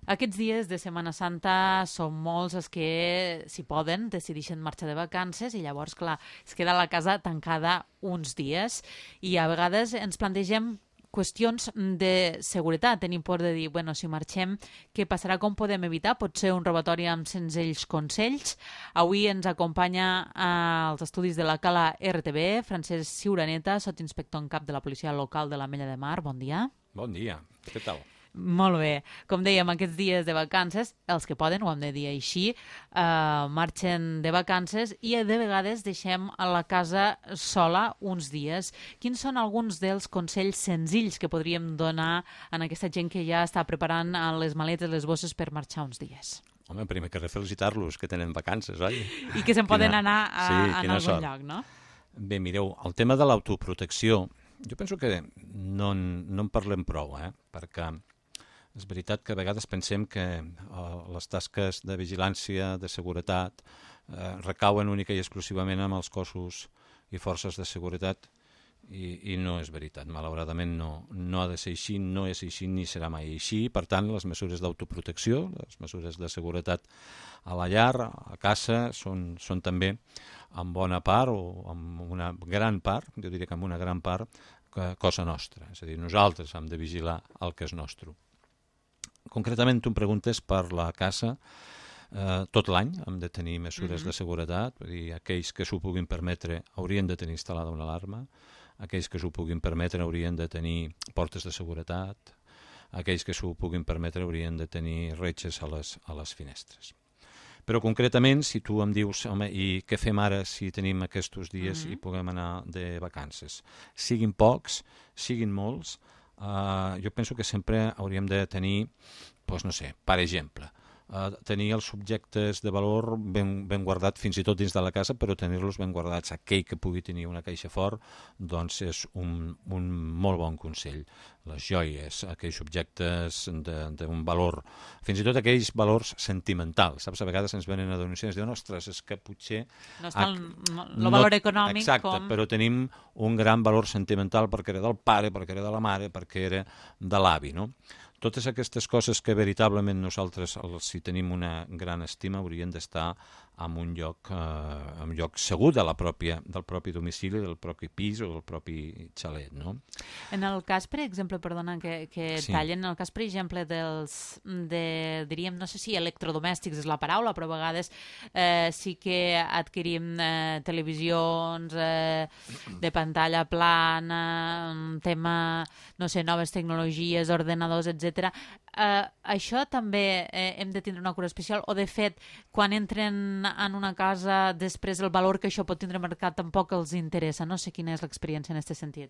Aquests dies de Setmana Santa són molts els que, si poden, decideixen marxar de vacances i llavors, clar, es queda la casa tancada uns dies i a vegades ens plantegem qüestions de seguretat. Tenim por de dir, bueno, si marxem, què passarà, com podem evitar? Pot ser un robatori amb senzills consells. Avui ens acompanya als estudis de la Cala RTV, Francesc Ciuraneta, sotsinspector en cap de la policia local de l'Ametlla de Mar. Bon dia. Bon dia, què tal? Molt bé. Com dèiem, aquests dies de vacances, els que poden, ho hem de dir així, marxen de vacances i de vegades deixem a la casa sola uns dies. Quins són alguns dels consells senzills que podríem donar a aquesta gent que ja està preparant les maletes, les bosses per marxar uns dies? Home, primer que res felicitar-los, que tenen vacances, oi? I que se'n poden anar a algun sort. lloc, no? Bé, mireu, el tema de l'autoprotecció, jo penso que no en parlem prou, perquè és veritat que a vegades pensem que les tasques de vigilància, de seguretat, recauen única i exclusivament amb els cossos i forces de seguretat i no és veritat. Malauradament no ha de ser així, no és així ni serà mai així. Per tant, les mesures d'autoprotecció, les mesures de seguretat a la llar, a casa, són també en bona part o en una gran part, jo diria que en una gran part, cosa nostra. És a dir, nosaltres hem de vigilar el que és nostre. Concretament, tu em preguntes per la casa, tot l'any hem de tenir mesures de seguretat, vull dir, aquells que s'ho puguin permetre haurien de tenir instal·lada una alarma, aquells que s'ho puguin permetre haurien de tenir portes de seguretat, aquells que s'ho puguin permetre haurien de tenir retxes a les finestres. Però concretament, si tu em dius, home, i què fem ara si tenim aquests dies i puguem anar de vacances? Siguin pocs, siguin molts, jo penso que sempre hauríem de tenir, doncs no sé, per exemple, tenir els subjectes de valor ben guardats fins i tot dins de la casa, però tenir-los ben guardats. Aquell que pugui tenir una caixa fort, doncs és un molt bon consell. Les joies, aquells objectes d'un valor, fins i tot aquells valors sentimentals. Saps? A vegades ens venen a denunciar i ens diuen, ostres, és que potser... No està el valor econòmic exacte, però tenim un gran valor sentimental perquè era del pare, perquè era de la mare, perquè era de l'avi, no? Totes aquestes coses que veritablement nosaltres, si tenim una gran estima, haurien d'estar en un lloc segur del propi domicili, del propi pis o del propi xalet, no? En el cas, per exemple, perdona que tallen, en el cas, per exemple, diríem, no sé si electrodomèstics és la paraula, però a vegades sí que adquirim televisions de pantalla plana, tema, no sé, noves tecnologies, ordenadors, etc. Això també hem de tindre una cura especial o, de fet, quan entren en una casa, després el valor que això pot tindre al mercat tampoc els interessa. No sé quina és l'experiència en aquest sentit.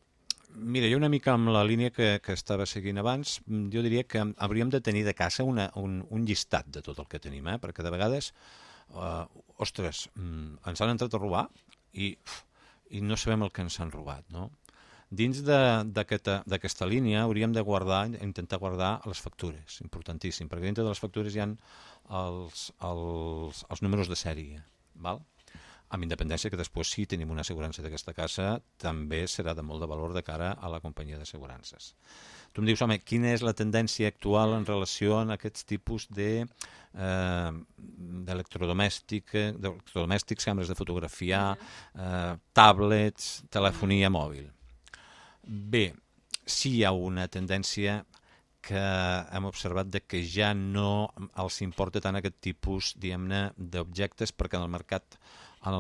Mira, jo una mica amb la línia que estava seguint abans, jo diria que hauríem de tenir de casa un llistat de tot el que tenim, perquè de vegades, ostres, ens han entrat a robar i no sabem el que ens han robat, no? Dins d'aquesta línia hauríem de intentar guardar les factures, importantíssim, perquè dintre de les factures hi ha els números de sèrie, val? Amb independència que després, si tenim una assegurança d'aquesta casa, també serà de molt de valor de cara a la companyia d'assegurances. Tu em dius, home, quina és la tendència actual en relació a aquests tipus d'electrodomèstics, càmeres de fotografiar, tablets, telefonia mòbil? Bé, sí hi ha una tendència que hem observat de que ja no els importa tant aquest tipus, diguem-ne, d'objectes, perquè en el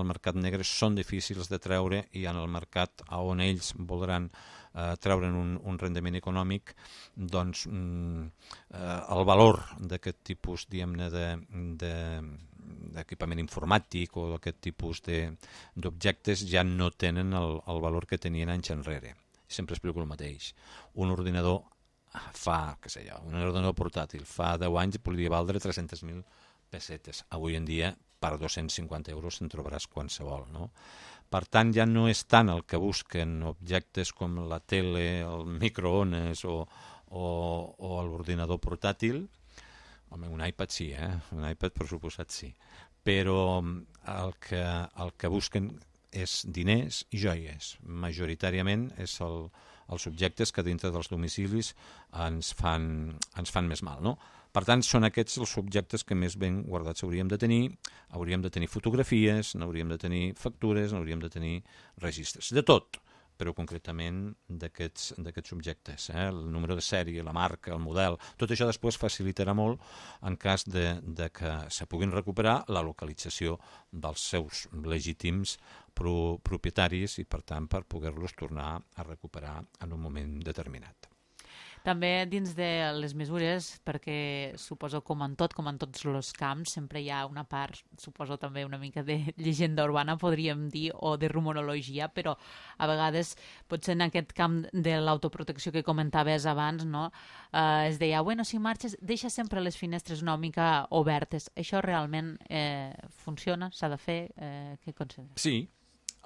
mercat negre són difícils de treure i en el mercat on ells voldran treure'n un rendiment econòmic, doncs el valor d'aquest tipus, diguem-ne, d'equipament informàtic o d'aquest tipus d'objectes ja no tenen el valor que tenien anys enrere. Sempre explico el mateix. Un ordinador un ordinador portàtil fa 10 anys podria valdre 300.000 pessetes. Avui en dia, per 250 euros se'n trobaràs qualsevol, no? Per tant, ja no és tant el que busquen objectes com la tele, el microones o l'ordinador portàtil. Home, un iPad sí, un iPad per suposat sí. Però el que busquen és diners i joies. Majoritàriament és els objectes que dintre dels domicilis ens fan més mal, no? Per tant, són aquests els subjectes que més ben guardats hauríem de tenir fotografies, n'hauríem de tenir factures, n'hauríem de tenir registres, de tot, però concretament d'aquests subjectes, el número de sèrie, la marca, el model, tot això després facilitarà molt en cas de que se puguin recuperar la localització dels seus legítims propietaris i, per tant, per poder-los tornar a recuperar en un moment determinat. També dins de les mesures, perquè suposo com en tots els camps, sempre hi ha una part, suposo també una mica de llegenda urbana, podríem dir, o de rumorologia, però a vegades potser en aquest camp de l'autoprotecció que comentaves abans, no? Es deia, bueno, si marxes, deixa sempre les finestres una mica obertes. Això realment funciona? S'ha de fer? Què consideres? Sí.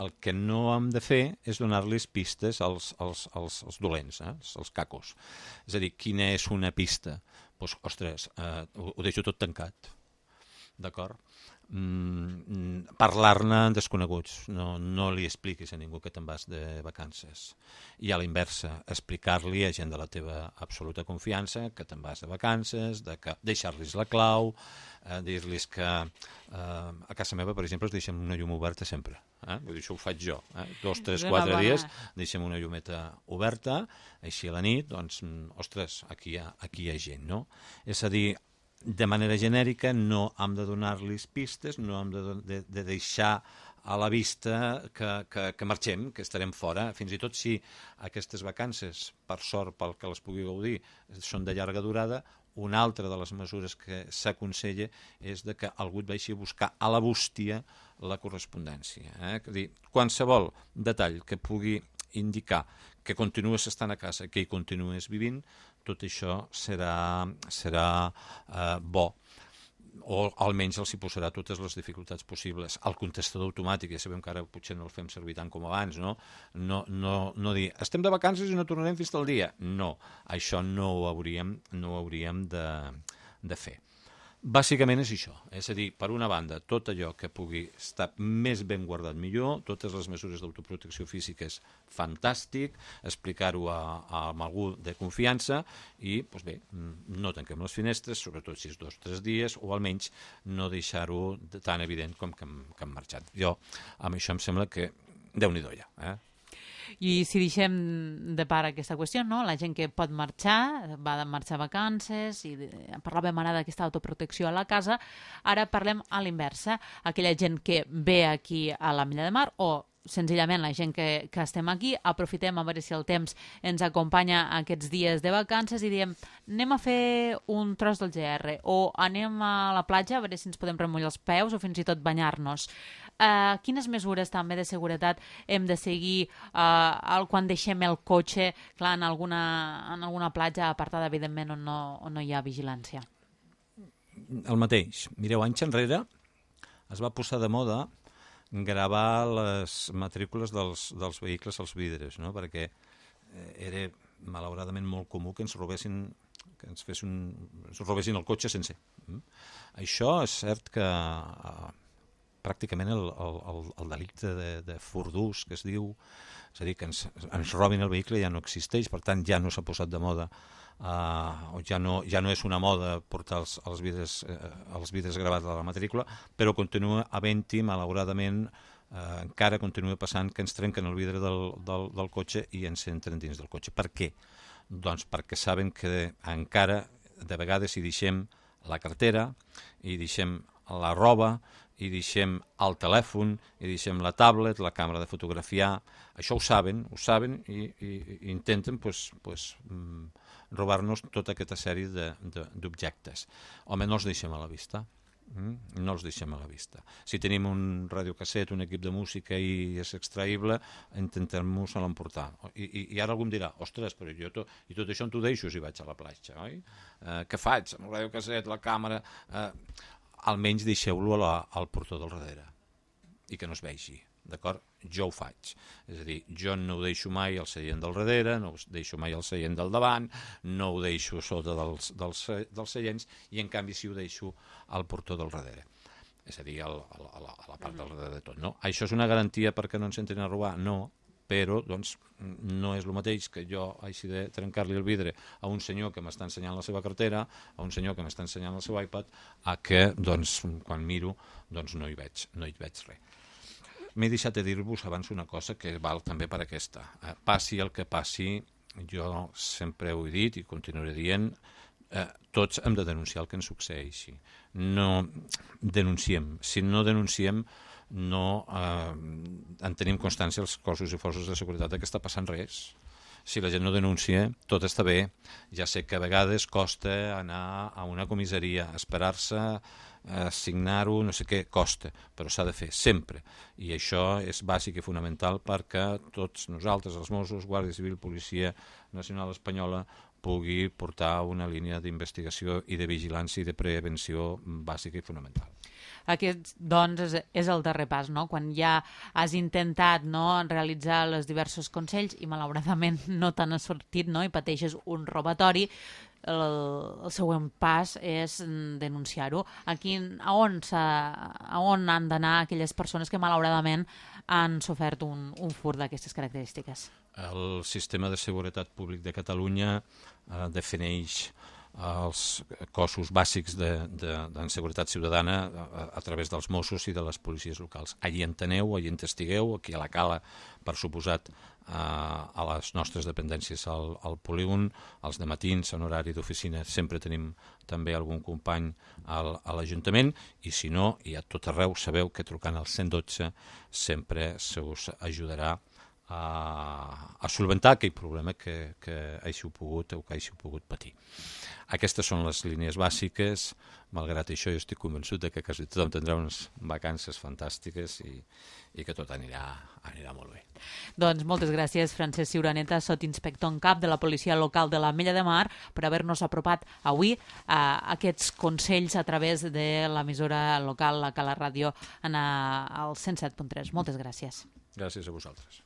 El que no hem de fer és donar-los pistes als dolents, als cacos. És a dir, quina és una pista? Doncs, ostres, ho deixo tot tancat, d'acord? Parlar-ne en desconeguts, no li expliquis a ningú que te'n vas de vacances. I a la inversa, explicar-li a gent de la teva absoluta confiança que te'n vas de vacances, deixar-los la clau, dir-los que a casa meva, per exemple, es deixem una llum oberta sempre. Vull dir, això ho faig jo. 2, 3, 4 dies deixem una llumeta oberta, així a la nit, doncs, ostres, aquí hi ha gent, no? És a dir, de manera genèrica no hem de donar-los pistes, no hem de deixar a la vista que marxem, que estarem fora, fins i tot si aquestes vacances, per sort, pel que les pugui gaudir, són de llarga durada. Una altra de les mesures que s'aconsella és de que algú et vagi a buscar a la bústia la correspondència. És a dir, qualsevol detall que pugui indicar que continues estant a casa, que hi continues vivint, tot això serà bo, o almenys els hi posarà totes les dificultats possibles. El contestador automàtic, ja sabem que ara potser no el fem servir tant com abans, no? No dir, estem de vacances i no tornarem fins al dia. No, això no ho hauríem de fer. Bàsicament és això, és a dir, per una banda, tot allò que pugui estar més ben guardat millor, totes les mesures d'autoprotecció física és fantàstic, explicar-ho a algú de confiança i, doncs bé, no tanquem les finestres, sobretot si és 2 o 3 dies, o almenys no deixar-ho tan evident com que hem marxat. Jo, amb això em sembla que Déu-n'hi-do ja, I si deixem de part aquesta qüestió, no? La gent que pot marxar, va marxar a vacances, i parlàvem ara d'aquesta autoprotecció a la casa, ara parlem a l'inversa, aquella gent que ve aquí a la Milla de Mar o senzillament la gent que estem aquí, aprofitem a veure si el temps ens acompanya aquests dies de vacances i diem, anem a fer un tros del GR o anem a la platja a veure si ens podem remullar els peus o fins i tot banyar-nos. Quines mesures també de seguretat hem de seguir quan deixem el cotxe, clar, en alguna platja apartada, evidentment, on no hi ha vigilància? El mateix. Mireu, anys enrere es va posar de moda gravar les matrícules dels vehicles als vidres, no? Perquè era malauradament molt comú que ens robessin el cotxe sencer. Això és cert que pràcticament el delicte de furt d'ús, que es diu, és a dir, que ens robin el vehicle ja no existeix, per tant ja no s'ha posat de moda, ja no és una moda portar els vidres gravats a la matrícula, però continua havent-hi, malauradament, encara continua passant que ens trenquen el vidre del cotxe i ens entren dins del cotxe. Per què? Doncs perquè saben que encara de vegades hi deixem la cartera, hi deixem la roba, hi deixem el telèfon, hi deixem la tablet, la càmera de fotografiar. Això ho saben i intenten robar-nos tota aquesta sèrie d'objectes. Home, no els deixem a la vista. No els deixem a la vista. Si tenim un radiocasset, un equip de música i és extraïble, intentem-nos l'emportar. I ara algú em dirà, ostres, però jo tot això on t'ho deixo si vaig a la platja, oi? Què faig amb el radiocasset, la càmera? Almenys deixeu-lo al portó del darrere i que no es vegi, d'acord? Jo ho faig, és a dir, jo no ho deixo mai al seient del darrere, no ho deixo mai al seient del davant, no ho deixo sota dels seients i en canvi sí ho deixo al portó del darrere, és a dir, a la part del darrere de tot, no? Això és una garantia perquè no ens entrin a robar? No, però doncs, no és el mateix que jo hagi de trencar-li el vidre a un senyor que m'està ensenyant la seva cartera, a un senyor que m'està ensenyant el seu iPad, a que doncs, quan miro doncs, no hi veig res. M'he deixat de dir-vos abans una cosa que val també per aquesta. Passi el que passi, jo sempre ho he dit i continuaré dient, tots hem de denunciar el que ens succeeixi. No denunciem. Si no denunciem, no en tenim constància els cossos i forces de seguretat que està passant res. Si la gent no denuncia, tot està bé. Ja sé que a vegades costa anar a una comissaria, esperar-se, signar-ho, no sé què, costa, però s'ha de fer sempre. I això és bàsic i fonamental perquè tots nosaltres, els Mossos, Guàrdia Civil, Policia Nacional Espanyola, pugui portar una línia d'investigació i de vigilància i de prevenció bàsica i fonamental. Aquest, doncs, és el darrer pas, no? Quan ja has intentat, no, realitzar els diversos consells i malauradament no t'han sortit, no, i pateixes un robatori, el següent pas és denunciar-ho. A on han d'anar aquelles persones que malauradament han sofert un furt d'aquestes característiques? El sistema de seguretat públic de Catalunya defineix els cossos bàsics de seguretat ciutadana a través dels Mossos i de les policies locals. Allí en teniu, allí en testigueu, aquí a la Cala, per suposat, a les nostres dependències al polígon, als dematins, en horari d'oficina, sempre tenim també algun company a l'Ajuntament, i si no, i a tot arreu sabeu que trucant al 112 sempre se us ajudarà a solventar aquell problema que hàgiu pogut o que hàgiu pogut patir. Aquestes són les línies bàsiques. Malgrat això, jo estic convençut que quasi tothom tindrà unes vacances fantàstiques i que tot anirà molt bé. Doncs moltes gràcies, Francesc Ciuraneta, sotsinspector en cap de la Policia Local de l'Ametlla de Mar, per haver-nos apropat avui a aquests consells a través de l'emissora local, la Cala Ràdio, al 107.3. Moltes gràcies. Gràcies a vosaltres.